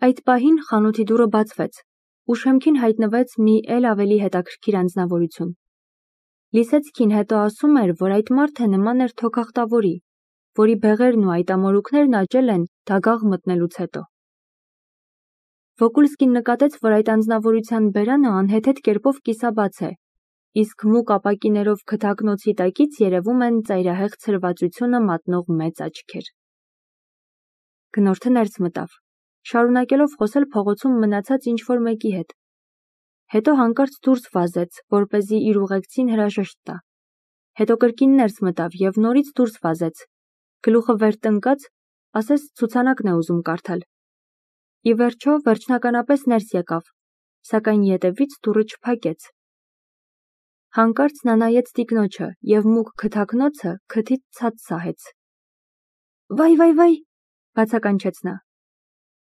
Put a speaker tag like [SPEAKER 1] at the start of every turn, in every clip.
[SPEAKER 1] Այդ պահին խանութի դուռը բացվեց, ու շեմքին հայտնվեց մի էլ ավելի հետաքրքիր անձնավորություն։ Լիսեցկին հետո ասում էր, որ այդ մարդը նման էր թոքախտավորի, որի բեղերն ու այտամորուքներն աճել են դագաղ մտնելուց հետո։ Վոկուլսկին նկատեց, որ այդ անձնավորության բերանը անհեթեթ կերպով կիսաբաց է, իսկ մուգ ապակիներով քթակնոցի տակից երևում են ծայրահեղ ցրվածությունը մատնող մեծ աչքեր։ Գնորդը ներս մտավ, շարունակելով խոսել փողոցում մնացած ինչ-որ մեկի հետ։ Հետո հանկարծ դուրս վազեց, որպեսզի իր ուղեկցին հրաժեշտ տա։ Հետո կրկին ներս մտավ և նորից դուրս վազեց, գլուխը վեր տնկած, ասես ցուցանակն է ուզում կարդալ։ Ի վերջո, վերջնականապես ներս եկավ, սակայն ետևից դուռը չփակեց։ Հանկարծ նա նայեց տիկնոջը և մուգ քթակնոցը քթից ցած սահեց։ Վայ, բացականչեց նա։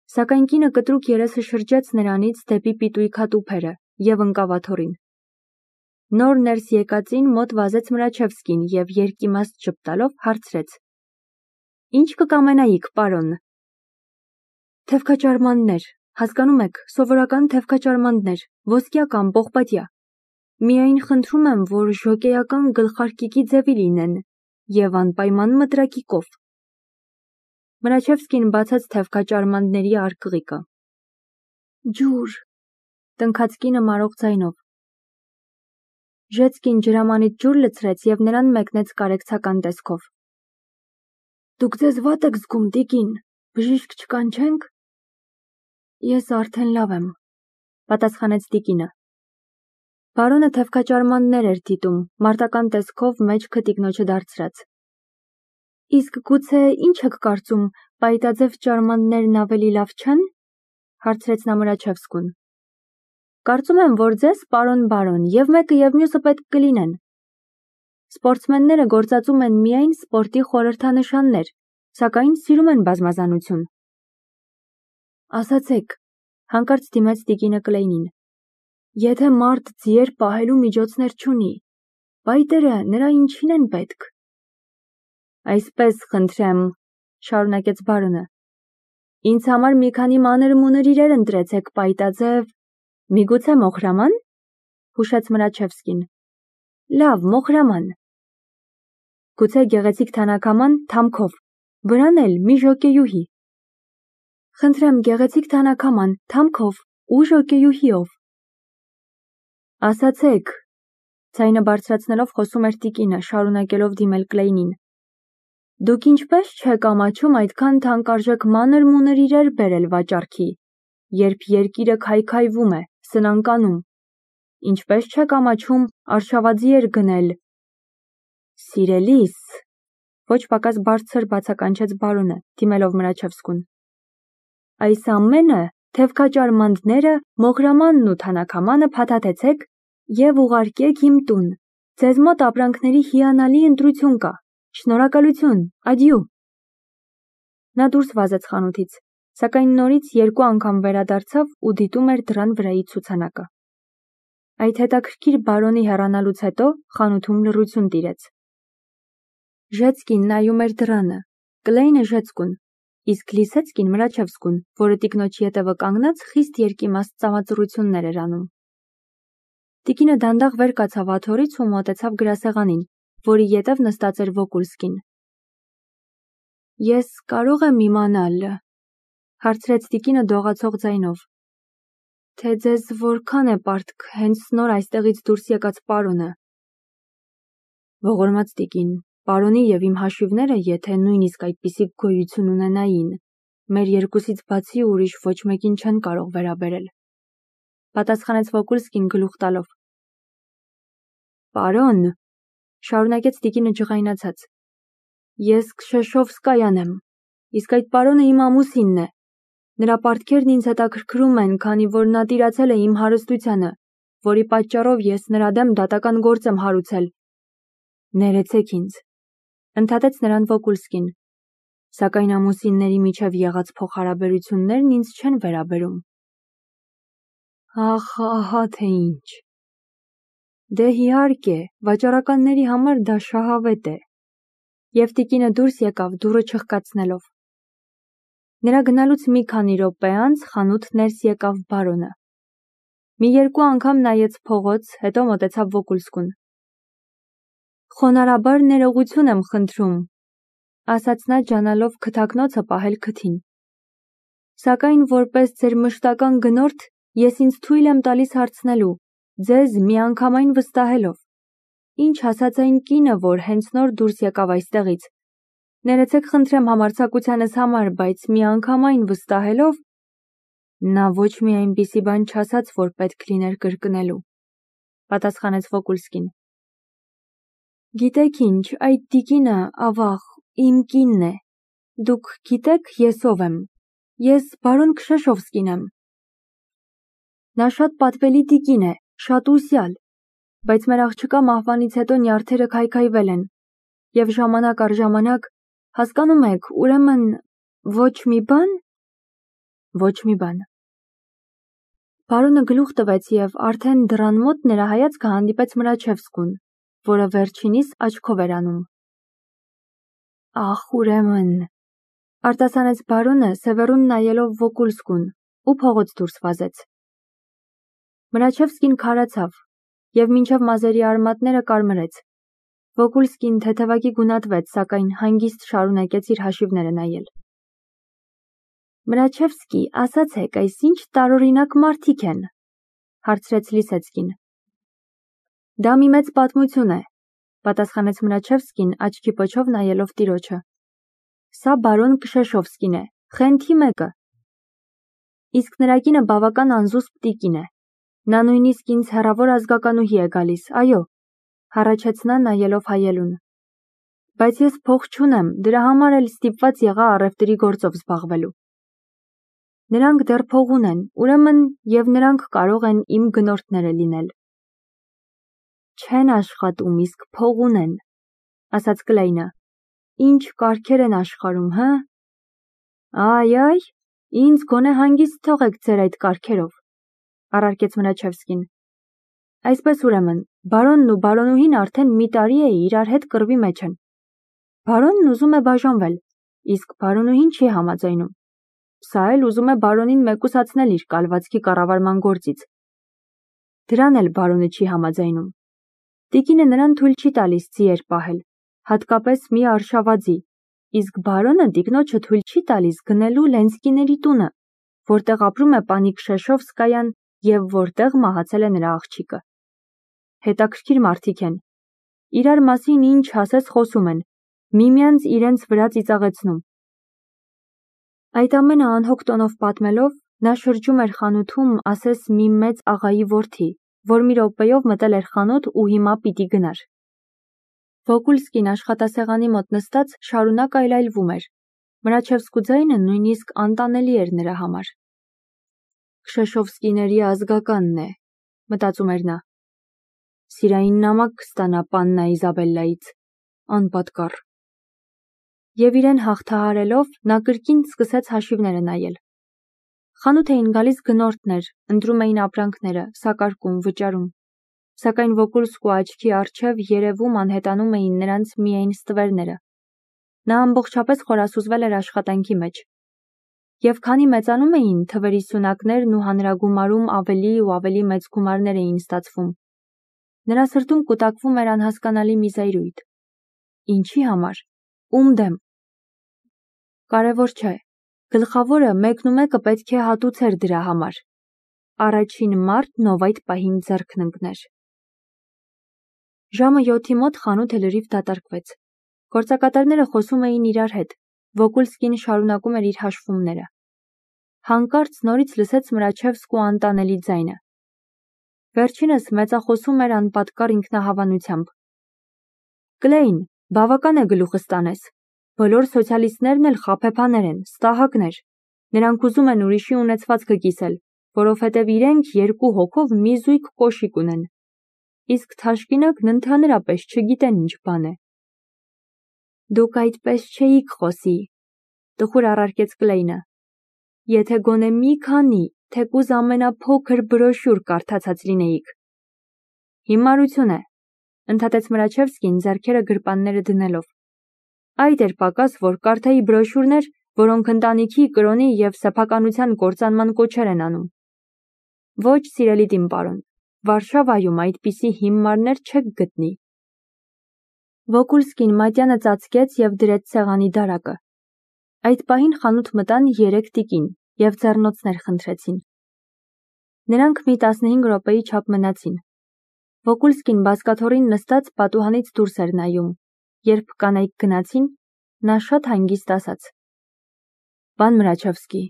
[SPEAKER 1] Սակայն կինը կտրուկ երեսը շրջեց նրանից դեպի պիտույքա տուփերը և ընկավ աթոռին։ Նոր ներս եկածին մոտ վազեց Մրաչևսկին և երկիմաստ ժպտալով հարցրեց. Ինչ կկամենայիք, պարոն։ Թևքաճարմաններ, հասկանում եք, սովորական թևքաճարմաններ, ոսկյա կամ պողպատյա։ Միայն խնդրում եմ, որ ժոկեական գլխարկիկի ձևի լինեն և անպայման մտրակիկով։ Մրաչևսկին բացեց թևքաճարմանների արկղիկը։ Ջուր, տնքաց կինը մարող ձայնով։ Ժեցկին ջրամանից ջուր լցրեց և նրան մեկնեց կարեկցական տեսքով։ Դուք ձեզ վատ եք զգում, տիկին, բժիշկ չկանչենք։ Ես արդեն լավ եմ, պատասխանեց տիկինը։ Բարոնը թևքաճարմաններ էր դիտում, մարտական տեսքով մեջքը տիկնոջը դարձրած։ Իսկ գուցե ինչ եք կարծում, պայտաձև ճարմաններն ավելի լավ չեն, հարցրեց նա Մրաչևսկուն։ Կարծում եմ, որ ձեզ, պարոն, և մեկը և մյուսը պետք կլինեն։ Սպորտսմենները գործածում են միայն սպորտի խորհրդանշաններ, սակայն սիրում են բազմազանություն։ Ասացեք, հանկարծ դիմեց տիկինը Կլեյնին, եթե մարդ ձիեր պահելու միջոցներ չունի, պայտերը նրա ինչին են պետք։ Այսպես խնդրեմ, շարունակեց բարոնը, ինձ համար մի քանի մանր-մունր իրեր ընտրեցեք պայտաձև, միգուցե մոխրաման, հուշեց Մրաչևսկին։ Լավ, մոխրաման։ Գուցե գեղեցիկ թանաքաման թամքով, վրան էլ մի ժոկեյուհի։ Խնդրեմ, գեղեցիկ թանաքաման թամքով ու ժոկեյուհիով։ Ասացեք, ձայնը բարձրացնելով խոսում էր տիկինը, շարունակելով դիմել Կլեյնին։ Դուք ինչպես չեք ամաչում այդքան թանկարժեք մանր-մունր իրեր բերել վաճառքի, երբ երկիրը քայքայվում է, սնանկանում, ինչպես չեք ամաչում արշավաձիեր գնել։ Սիրելիս, ոչ պակաս բարձր բացականչեց բարոնը, դիմելով Մրաչևսկուն։ Այս ամենը, թևքաճարմանները, մոխրամանն ու թանաքամանը փաթաթեցեք և ուղարկեք իմ տուն։ Ձեզ մոտ ապրանքների հիանալի ընտրություն կա։ Շնորհակալություն, ադյու։ Նա դուրս վազեց խանութից, սակայն նորից երկու անգամ վերադարձավ ու դիտում էր դռան վրայի ցուցանակը։ Այդ հետաքրքիր բարոնի հեռանալուց հետո խանութում լռություն տիրեց։ Ժեցկին նայում էր դռանը, Կլեյնը Ժեցկուն, իսկ Լիսեցկին Մրաչևսկուն, որը տիկնոջ ետևը կանգնած խիստ երկիմաստ ծամածռություններ էր անում։ Տիկինը դանդաղ վեր կացավ աթոռից ու մոտեցավ գրասեղանին, որի ետև նստած էր Վոկուլսկին։ Ես կարող եմ իմանալ, հարցրեց տիկինը դողացող ձայնով, թե ձեզ որքան է պարտք հենց նոր այստեղից դուրս եկած պարոնը։ Ողորմած տիկին, պարոնի և իմ հաշիվները, եթե նույնիսկ այդպիսի գոյություն ունենային, մեր երկուսից բացի ուրիշ ոչ մեկին չեն կարող վերաբերել, պատասխանեց Վոկուլսկին գլուխ տալով։ Պարոն, շարունակեց տիկինը ջղայնացած, ես Քշեշովսկայան եմ, իսկ այդ պարոնը իմ ամուսինն է։ Նրա պարտքերն ինձ հետաքրքրում են, քանի որ նա տիրացել է իմ հարստությանը, որի պատճառով ես նրա դեմ դատական գործ եմ հարուցել։ Ներեցեք ինձ, ընդհատեց նրան Վոկուլսկին, սակայն ամուսինների միջև եղած փոխհարաբերություններն ինձ չեն վերաբերում։ Ախ, ահա թե ինչ։ Դե իհարկե, վաճառականների համար դա շահավետ է։ Եվ տիկինը դուրս եկավ դուռը չխկացնելով։ Նրա գնալուց մի քանի րոպե անց խանութ ներս եկավ բարոնը։ Մի երկու անգամ նայեց փողոց, հետո մոտեցավ Վոկուլսկուն։ Խոնարհաբար ներողություն եմ խնդրում, ասաց նա ջանալով քթակնոցը պահել քթին։ Սակայն որպես ձեր մշտական գնորդ ես ինձ թույլ եմ տալիս հարցնելու, ձեզ միանգամայն վստահելով։ Ինչ ասաց այն կինը, որ հենց նոր դուրս եկավ այստեղից։ Ներեցեք խնդրեմ համարձակությանս համար, բայց միանգամայն վստահելով, նա ոչ մի այնպիսի բան չասաց, որ պետք լիներ կրկնելու, պատասխանեց Վոկուլսկին։ Գիտեք ինչ, այդ տիկինը, ավաղ, իմ կինն է։ Դուք գիտեք ես ով եմ։ Ես բարոն Քշեշովսկին եմ։ Նա շատ պատվելի տիկին է, շատ ուսյալ, բայց մեր աղջկա մահվանից հետո նյարդերը քայքայվել են, եւ ժամանակ առ ժամանակ, հասկանում եք, ուրեմն ոչ մի բան։ Ոչ մի բան։ Բարոնը գլուխ տվեց եւ արդեն դռան մոտ նրա հայացքը հանդիպեց Մրաչևսկուն, որը վերջինիս աչքով էր անում։ Ախ, ուրեմն, արտասանեց բարոնը սևեռուն նայելով Վոկուլսկուն ու փողոց դուրս վազեց։ Մրաչևսկին քարացավ եւ մինչև մազերի արմատները կարմրեց։ Վոկուլսկին թեթևակի գունատվեց, սակայն հանգիստ շարունակեց իր հաշիվները նայել։ Մրաչևսկի, ասացեք, այս ինչ տարօրինակ մարդիկ են, հարցրեց Լիսեցկին։ Դա մի մեծ պատմություն է, պատասխանեց Մրաչևսկին աչքի պոչով նայելով տիրոջը։ Սա բարոն Քշեշովսկին է, խենթի մեկը։ Իսկ նրա կինը բավական անզուսպ տիկին է։ Նա նույնիսկ ինձ հեռավոր ազգականուհի է գալիս, այո, հառաչեց նա նայելով հայելուն։ Բայց ես փող չունեմ, դրա համար էլ ստիպված եղա առևտրի գործով զբաղվելու։ Նրանք դեռ փող ունեն, ուրեմն եւ նրանք կարող են իմ գնորդները լինել։ Չեն աշխատում, իսկ փող ունեն, ասաց Կլեյնը։ Ինչ կարգեր են աշխարհում, հա։ Այ, ինձ գոնե հանգիստ թողեք ձեր այդ կարգերով, առարկեց Մրաչևսկին։ Այսպես ուրեմն, բարոնն ու բարոնուհին արդեն մի տարի է իրար հետ կռվի մեջ են։ Բարոնն ուզում է բաժանվել, իսկ բարոնուհին չի համաձայնում։ Սա էլ ուզում է բարոնին մեկուսացնել իր կալվածքի կառավարման գործից։ Դրան էլ բարոնը չի համաձայնում։ Տիկինը նրան թույլ չի տալիս ձիեր պահել, հատկապես մի արշավաձի, իսկ բարոնը տիկնոջը թույլ չի տալիս գնելու Լենսկիների տունը, որտեղ ապրում է պանի Քշեշովսկայան եւ որտեղ մահացել է նրա աղջիկը։ Հետաքրքիր մարդիկ են։ Իրար մասին ինչ ասես խոսում են, միմյանց իրենց վրա ծիծաղեցնում։ Այդ ամենը անհոգ տոնով պատմելով, նա շրջում էր խանութում, ասես մի մեծ աղայի որդի, որ մի րոպեով մտել էր խանութ ու հիմա պիտի գնար։ Վոկուլսկին աշխատասեղանի մոտ նստած շարունակ այլայլվում էր։ Մրաչևսկու ձայնը նույնիսկ անտանելի էր նրա համար։ Քշեշովսկիների ազգականն է, մտածում էր նա։ Սիրային նամակ կստանա պաննա Իզաբելլայից, անպատկառ։ Եվ իրեն հաղթահարելով, նա կրկին սկսեց հաշիվները նայել։ Խանութ էին գալիս գնորդներ, ընտրում էին ապրանքները, սակարկում, վճարում։ Սակայն Վոկուլսկու աչքի առջև երևում անհետանում էին նրանց միայն ստվերները։ Նա ամբողջապես խորասուզվել էր աշխատանքի մեջ։ Եվ քանի մեծանում էին, թվերի սյունակներն ու հանրագումարում ավելի ու ավելի մեծ գումարներ էին ստացվում։ Նրա սրտում կուտակվում էր անհասկանալի մի զայրույթ։ Ինչի համար։ Ում դեմ։ Կարևոր չէ։ Գլխավորը մեկնումեկը պետք է հատուցեր դրա համար։ Առաջին մարդն, ով այդ պահին ձեռքն ընկներ։ Ժամը 7-ի մոտ խանութը լրիվ դատարկվեց։ Գործակատարները խոսում էին իրար հետ։ Վոկուլսկին շարունակում էր իր հաշվումները։ Հանկարծ նորից լսեց Մրաչևսկու անտանելի ձայնը։ Վերջինս մեծախոսում էր անպատկառ ինքնահավանությամբ։ Կլեյն, բավական է գլուխը ստանես։ Բոլոր սոցիալիստներն էլ խաբեբաներ են, ստահակներ։ Նրանք ուզում են ուրիշի ունեցվածքը կիսել, որովհետև իրենք երկու հոգով մի զույգ կոշիկ ունեն։ Իսկ թաշկինակն ընդհանրապես չգիտեն ինչ բան է։ Դուք այդպես չէիք խոսի, տխուր առարկեց Կլեյնը։ Եթե գոնե մի քանի, թեկուզ ամենափոքր բրոշյուր կարդացած լինեիք։ Հիմարություն է, ընդհատեց Մրաչևսկին ձեռքերը գրպանները դնելով։ Այդ էր պակաս, որ կարդայի բրոշյուրներ, որոնք ընտանիքի, կրոնի և սեփականության կործանման կոչեր են անում։ Ոչ, սիրելի տին պարոն, Վարշավայում այդպիսի հիմարներ չեք գտնի։ Վոկուլսկին մատյանը ծածկեց և դրեց սեղանի դարակը։ Այդ պահին խանութ մտան 3 տիկին և ձեռնոցներ խնդրեցին։ Նրանք մի 15 րոպեի չափ մնացին։ Վոկուլսկին բազկաթոռին նստած պատուհանից դուրս էր նայում։ Երբ կանայք գնացին, նա շատ հանգիստ ասաց. «Պան Մրաչևսկի»։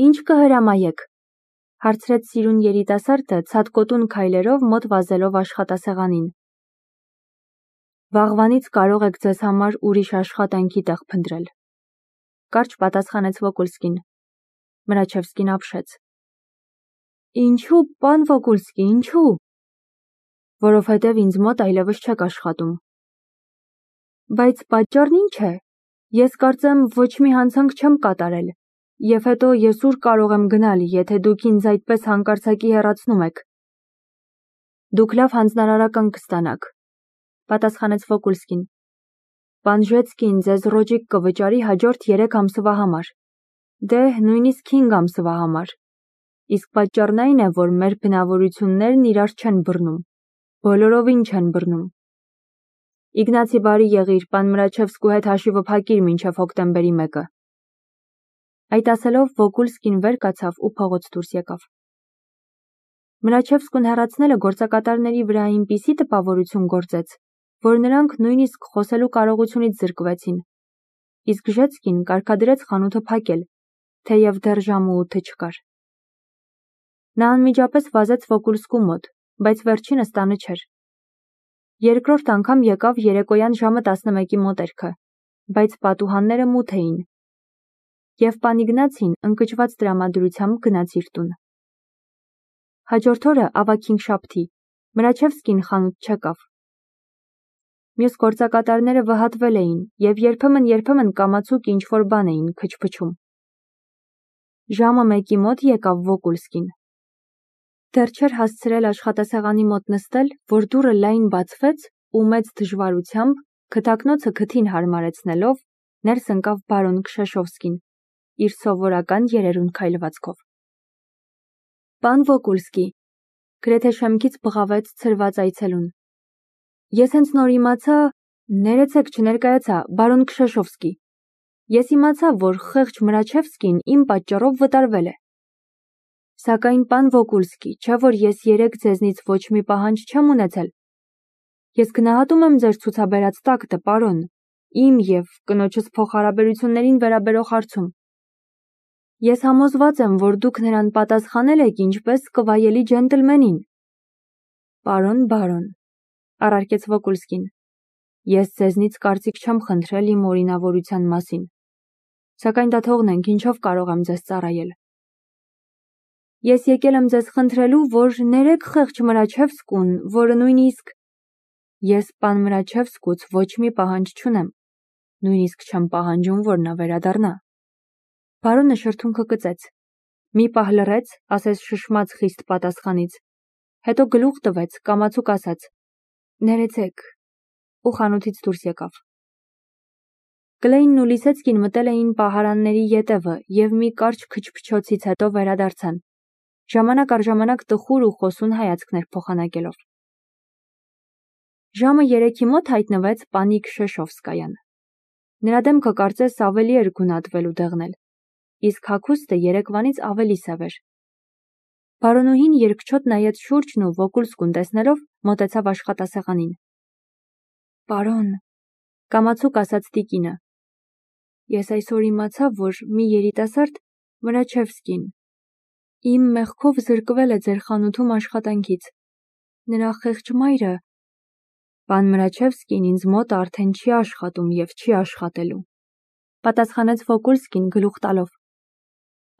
[SPEAKER 1] «Ինչ կհրամայեք», հարցրեց սիրուն երիտասարդը ցատկոտուն քայլերով մոտ վազելով աշխատասեղանին։ «Վաղվանից կարող եք ձեզ համար ուրիշ աշխատանքի տեղ փնտրել», կարճ պատասխանեց Վոկուլսկին։ Մրաչևսկին ապշեց։ «Ինչու, պան Վոկուլսկի, ինչու»։ «Որովհետև ինձ մոտ այլևս չեք աշխատում»։ «Բայց պատճառն ինչ է։ Ես կարծեմ ոչ մի հանցանք չեմ կատարել, և հետո ես ուր կարող եմ գնալ, եթե դուք ինձ այդպես հանկարծակի հեռացնում եք»։ «Դուք լավ հանձնարարական կստանաք», պատասխանեց Վոկուլսկին։ «Պանժեցկին ձեզ ռոճիկ կվճարի հաջորդ 3 ամսվա համար, դե նույնիսկ 5 ամսվա համար։ Իսկ պատճառն այն է, որ մեր բնավորություններն իրար չեն բռնում, բոլորովին չեն բռնում։ Իգնացի բարի եղիր, պան Մրաչևսկու հետ հաշիվը փակիր մինչև հոկտեմբերի 1-ը»։ Այդ ասելով Վոկուլսկին վեր կացավ ու փողոց դուրս եկավ։ Մրաչևսկուն հեռացնելը գործակատարների վրա այնպիսի տպավորություն գործեց, որ նրանք նույնիսկ խոսելու կարողությունից զրկվեցին։ Իսկ Ժեցկին կարգադրեց խանութը փակել, թեև դեռ ժամը 8 չկար։ Նա անմիջապես վազեց Վոկուլսկու մոտ, բայց վերջինս տանը չէր։ Երկրորդ անգամ եկավ երեկոյան ժամը 11-ի մոտերքը, բայց պատուհանները մութ էին։ Եվ պան Իգնացին ընկճված տրամադրությամբ գնաց իր տուն։ Հաջորդ օրը ավագ-հինգշաբթի Մրաչևսկին խանութ չեկավ։ Մյուս գործակատարները վհատվել էին և երբեմն կամացուկ ինչ-որ բան էին քչփչում։ Ժամը 1-ի մոտ եկավ Վոկուլսկին։ Դեռ չէր հասցրել աշխատասեղանի մոտ նստել, որ դուռը լայն բացվեց ու մեծ դժվարությամբ, քթակնոցը քթին հարմարեցնելով, ներս ընկավ բարոն Քշեշովսկին, իր սովորական երերուն քայլվածքով։ «Պան Վոկուլսկի», գրեթե շեմքից բղավեց ցրված այցելուն։ «Ես հենց նոր իմացա, ներեցեք չներկայացա, բարոն Քշեշովսկի։ Ես իմացա, որ խեղճ Մրաչևսկին իմ պատճառով վտարվել է։ Սակայն, պան Վոկուլսկի, չէ՞ որ ես երեկ ձեզնից ոչ մի պահանջ չեմ ունեցել։ Ես գնահատում եմ ձեր ցուցաբերած տակտը, պարոն, իմ և կնոջս փոխհարաբերություններին վերաբերող հարցում։ Ես համոզված եմ, որ դուք նրան պատասխանել եք ինչպես կվայելի ջենտլմենին»։ «Պարոն բարոն», առարկեց Վոկուլսկին, «ես ձեզնից կարծիք չեմ խնդրել իմ օրինավորության մասին, սակայն դա թողնենք, ինչով կարող եմ ձեզ ծառայել»։ «Ես եկել եմ ձեզ խնդրելու, որ ներեք խեղճ Մրաչևսկուն, որը նույնիսկ»։ «Ես պան Մրաչևսկուց ոչ մի պահանջ չունեմ, նույնիսկ չեմ պահանջում, որ նա վերադառնա»։ Բարոնը շրթունքը կծեց, մի պահ լռեց, ասես շշմած խիստ պատասխանից, հետո գլուխ տվեց, կամացուկ ասաց. «Ներեցեք» ու խանութից դուրս եկավ։ Կլեյնն ու Լիսեցկին մտել էին պահարանների ետևը և մի կարճ քչփչոցից հետո վերադարձան, ժամանակ առ ժամանակ տխուր ու խոսուն հայացքներ փոխանակելով։ Ժամը 3-ի մոտ հայտնվեց պանի Քշեշովսկայան։ Նրա դեմքը կարծես ավելի էր գունատվել ու դեղնել, իսկ հագուստը երեկվանից ավելի սև էր։ Բարոնուհին երկչոտ նայեց շուրջն ու Վոկուլսկուն տեսնելով մոտեցավ աշխատասեղանին։ «Պարոն», կամացուկ ասաց տիկինը, «ես այսօր իմացա, որ մի երիտասարդ Մրաչևսկին իմ մեղքով զրկվել է ձեր խանութում աշխատանքից։ Նրա խեղճ մայրը»։ «Պան Մրաչևսկին ինձ մոտ արդեն չի աշխատում և չի աշխատելու», պատասխանեց Վոկուլսկին գլուխ տալով։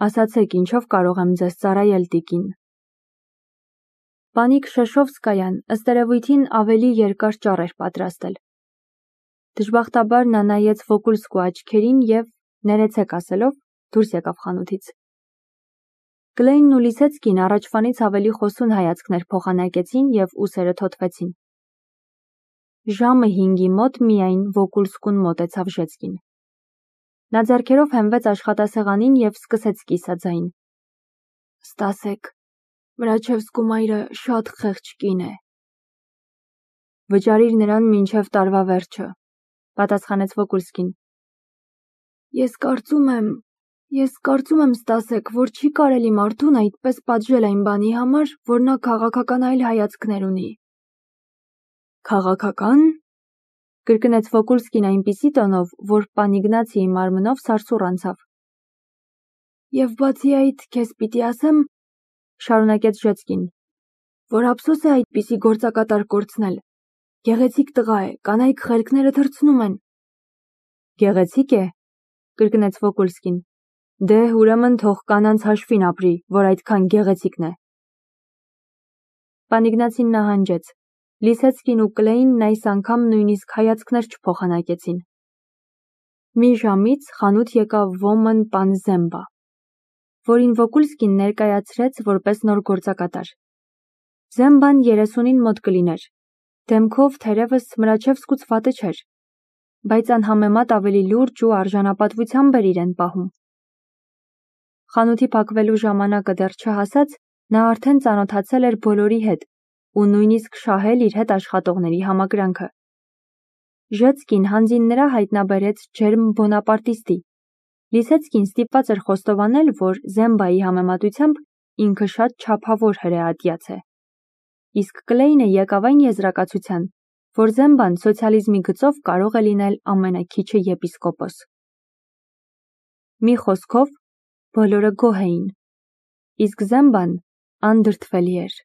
[SPEAKER 1] «Ասացեք, ինչով կարող եմ ձեզ ծառայել, տիկին»։ Պանի Քշեշովսկայան ըստ երևույթին ավելի երկար ճառ էր պատրաստել։ Դժբախտաբար նա նայեց Վոկուլսկու աչքերին և, ներեցեք ասելով, դուրս եկավ խանութից։ Կլեյնն ու Լիսեցկին առաջվանից ավելի խոսուն հայացքներ փոխանակեցին և ուսերը թոթվեցին։ Ժամը 5-ի մոտ միայն Վոկուլսկուն մոտեցավ Ժեցկին։ Նա ձեռքերով հենվեց աշխատասեղանին և սկսեց կիսաձայն. «Ստասեք, Մրաչևսկու մայրը շատ խեղճ կին է»։ «Վճարիր նրան մինչև տարվա վերջը», պատասխանեց Վոկուլսկին։ Ես կարծում եմ, Ստասեք, որ չի կարելի մարդուն այդպես պատժել այն բանի համար, որ նա քաղաքական այլ հայացքներ ունի։ Քաղաքական, կրկնեց Վոկուլսկին այնպիսի տոնով, որ պան Իգնացիի մարմնով սարսուռ անցավ։ Եվ բացի այդ, քեզ պիտի ասեմ, շարունակեց Ժեցկին, որ ափսոս է այդպիսի գործակատար կորցնել։ Գեղեցիկ տղա է, կանայք խելքները թռցնում են։ Գեղեցիկ է, կրկնեց Վոկուլսկին։ Դե, ուրեմն թող կանանց հաշվին ապրի, որ այդքան գեղեցիկն է։ Պան Իգնացին նահանջեց։ Լիսեցկին ու Կլեյնն այս անգամ նույնիսկ հայացքներ չփոխանակեցին։ Մի ժամից խանութ եկավ ոմն պան Զեմբա, որին Վոկուլսկին ներկայացրեց որպես նոր գործակատար։ Զեմբան 30-ին մոտ կլիներ։ Դեմքով թերևս Մրաչևսկուց վատը չէր, բայց անհամեմատ ավելի լուրջ ու արժանապատվությամբ էր իրեն պահում։ Խանութի փակվելու ժամանակը դեռ չհասած, նա արդեն ծանոթացել էր բոլորի հետ ու նույնիսկ շահել իր հետ աշխատողների համակրանքը։ Ժեցկին հանձին նրա հայտնաբերեց ջերմ բոնապարտիստի։ Լիսեցկին ստիպված էր խոստովանել, որ Զեմբայի համեմատությամբ ինքը շատ չափավոր հրեատյաց է։ Իսկ Կլեյնը եկավ այն եզրակացության, որ Զեմբան սոցիալիզմի գծով կարող է լինել ամենաքիչը եպիսկոպոս։ Մի խոսքով, բոլորը գոհ էին, իսկ Զեմբան անդրդվելի էր։